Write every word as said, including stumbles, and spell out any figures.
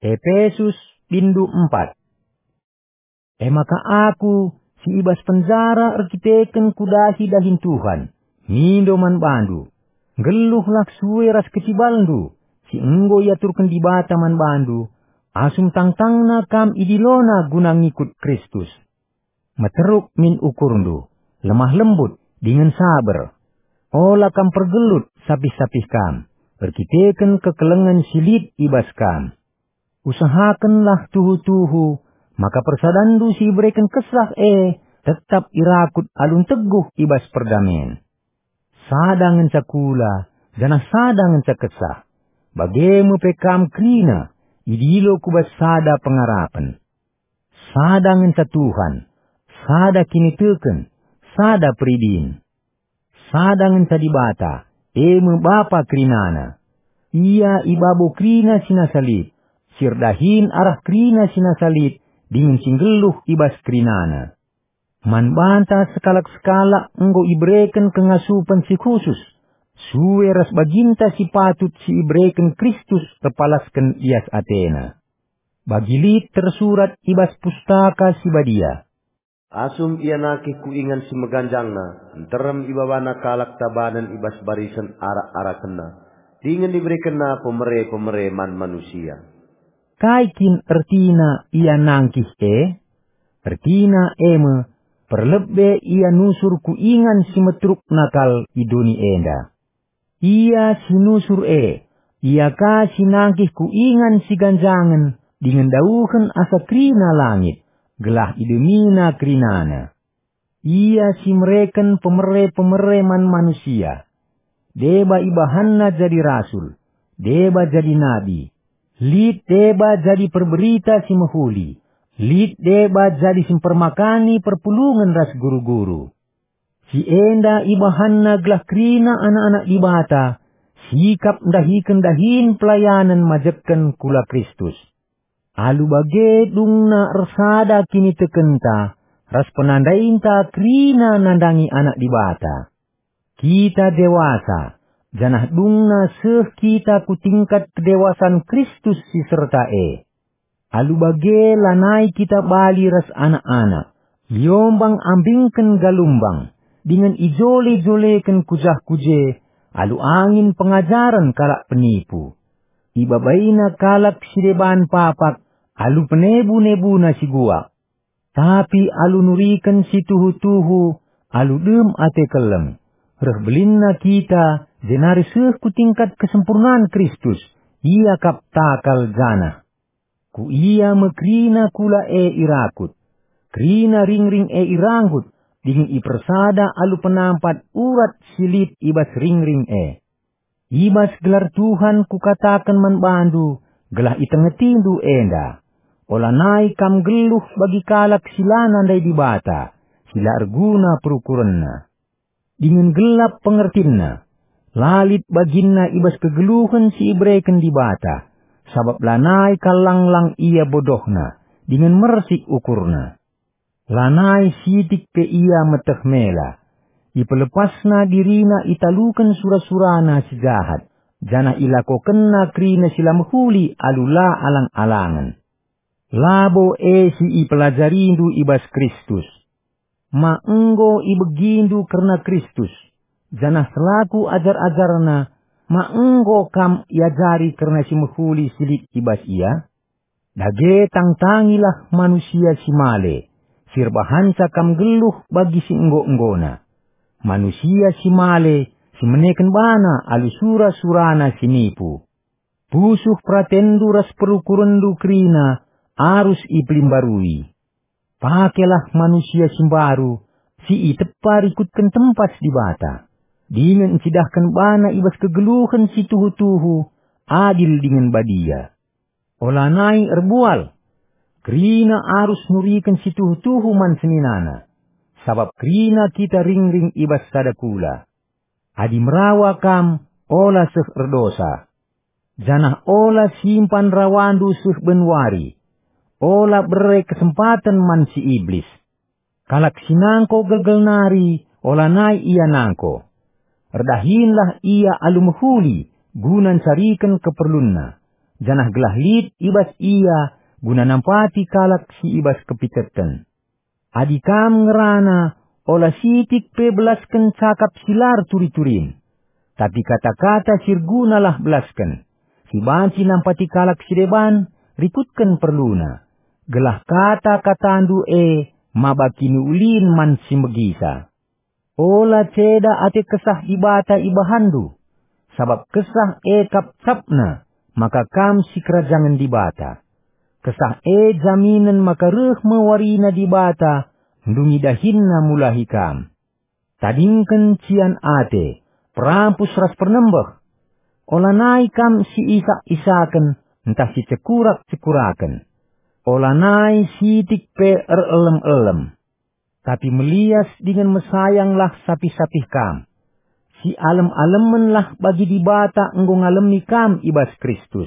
Epesus, bindu empat. E maka aku, si i bas penjara erkiteken kudahi dahin Tuhan, mindo man bandu, nggeluhlah sue ras kecibalndu, si enggo iaturken Dibata man bandu, asum tangtangna kam idilona guna ngikut Kristus. Meteruk min ukurndu, lemah lembut, dingen saber. Ola kam pergelut sapih-sapih kam, erkiteken kekelengen si lit i bas kam. Usahakenlah tuhu-tuhu, maka persadanndu si ibereken Kesah e tetap irakut alu nteguh i bas perdamen. Sada ngenca kula, janah sada ngenca Kesah. Bage me pe kam kerina, idilo ku bas sada pengarapen. Sada ngenca Tuhan, sada kiniteken, sada peridin. Sada ngenca Dibata, e me Bapa kerinana. Ia i babo kerina si nasa lit, si erdahin arah kerina si nasa lit, dingen si nggeluh i bas kerinana. Man banta sekalak-sekalak enggo ibereken kengasupen si khusus, sue ras baginta si patut si ibereken Kristus erpalasken lias atena. Bagi lit tersurat i bas Pustaka Si Badia, "Asum ia nangkih ku ingan si meganjangna, nterem ibabana kalak tabanen i bas barisen arak-arakenna, dingen iberekenna pemere-pemere man manusia." Kai kin ertina ia nangkih e? Ertina e me, perlebe ia nusur ku ingan si meterukna kal i doni enda. Ia si nusur e, ia ka si nangkih ku ingan si ganjangen dingen dauhen asa kerina langit, gelah idemina kerinana. Ia si mereken pemere-pemere man manusia. Deba ibahanna jadi rasul, deba jadi nabi. Lit deba jadi perberita si mehuli, lit deba jadi si mpermakani perpulungen ras guru-guru. Si enda ibahanna gelah kerina anak-anak Dibata, sikap ndahiken dahin pelayanen majekken kula Kristus. Alu bage dungna ersada kinitekenta ras penandainta kerina nandangi Anak Dibata. Kita dewasa, janah dungna seh kita ku tingkat kedewasan Kristus si serta e. Alu bage lanai kita bali ras anak-anak, liombang ambingken galumbang, dingen ijole-joleken ku jah ku je, alu angin pengajaren kalak penipu. Ibabaina kalak si deban papak, alu penebu-nebuna si guak. Tapi alu nuriken si tuhu-tuhu, alu dem ate keleng, reh belinna kita, jenari seh ku tingkat kesempurnan Kristus, ia kap takal janah. Ku ia me kerina kula e irakut, kerina ringring e iranggut, dingen ipersada alu penampat urat si lit i bas ringring e. I bas gelar Tuhan kukataken man bandu, gelah itengetindu enda. Olanai kam nggeluh bagi kalak si la nandai Dibata, si la erguna perukurenna. Dingen gelap pengertinna, la lit baginna i bas kegeluhen si ibereken Dibata, sabap lanai kal lang-lang ia bodohna, dingen mersik ukurna. Lanai sitik pe ia meteh mela. Ipelepasna dirina italuken sura-surana si jahat, janah ilakokenna kerina si la mehuli alu la alang-alangen. Labo e si ipelajarindu i bas Kristus. Ma enggo ibegindu kerna Kristus, janah selaku ajar-ajarna, ma enggo kam iajari kerna si mehuli si lit i bas Ia? Dage tangtangilah manusia si male, si erbahanca kam nggeluh bagi si enggo-enggona. Manusia si male, si meneken bana alu sura-surana si nipu. Pusuh peratenndu ras perukurenndu kerina arus ipelimbarui. Pakelah manusia si mbaru, si itepa rikutken tempas Dibata, dingen ncidahken bana i bas kegeluhen si tuhu-tuhu, adil dingen badia. Olanai erbual. Kerina arus nuriken si tuhu-tuhu man seninana, sabap kerina kita ringring i bas sada kula. Adi merawa kam, ola seh erdosa. Janah ola simpan rawandu seh ben wari. Ola bere kesempaten man si Iblis. Kalak si nangko gelgel nari, olanai ia nangko. Erdahinlah ia alu mehuli, guna ncariken keperlunna. janah gelah lit i bas ia guna nampati kalak si i bas kepiteten. Adi kam ngerana, ola sitik pe belasken cakap si la erturi-turin. Tapi kata-kata si ergunalah belasken, si banci nampati kalak si deban, rikutken perluna, gelah kata-katandu e maba kiniulin man si megisa. Ola ceda ate Kesah Dibata ibahanndu, sabap Kesah e kap capna maka kam sikerajangen Dibata. Kesah e jaminen maka reh me warina Dibata ndungi dahinNa mulahi kam. Tadingken cian ate, perampus ras pernembeh. Olanai kam siisak-isaken ntah sicekurak-cekuraken. Olanai sitik pe erelem-elem. Tapi melias dingen mesayanglah sapih-sapih kam. Sialem-alemenlah bagi Dibata enggo ngalemi kam i bas Kristus.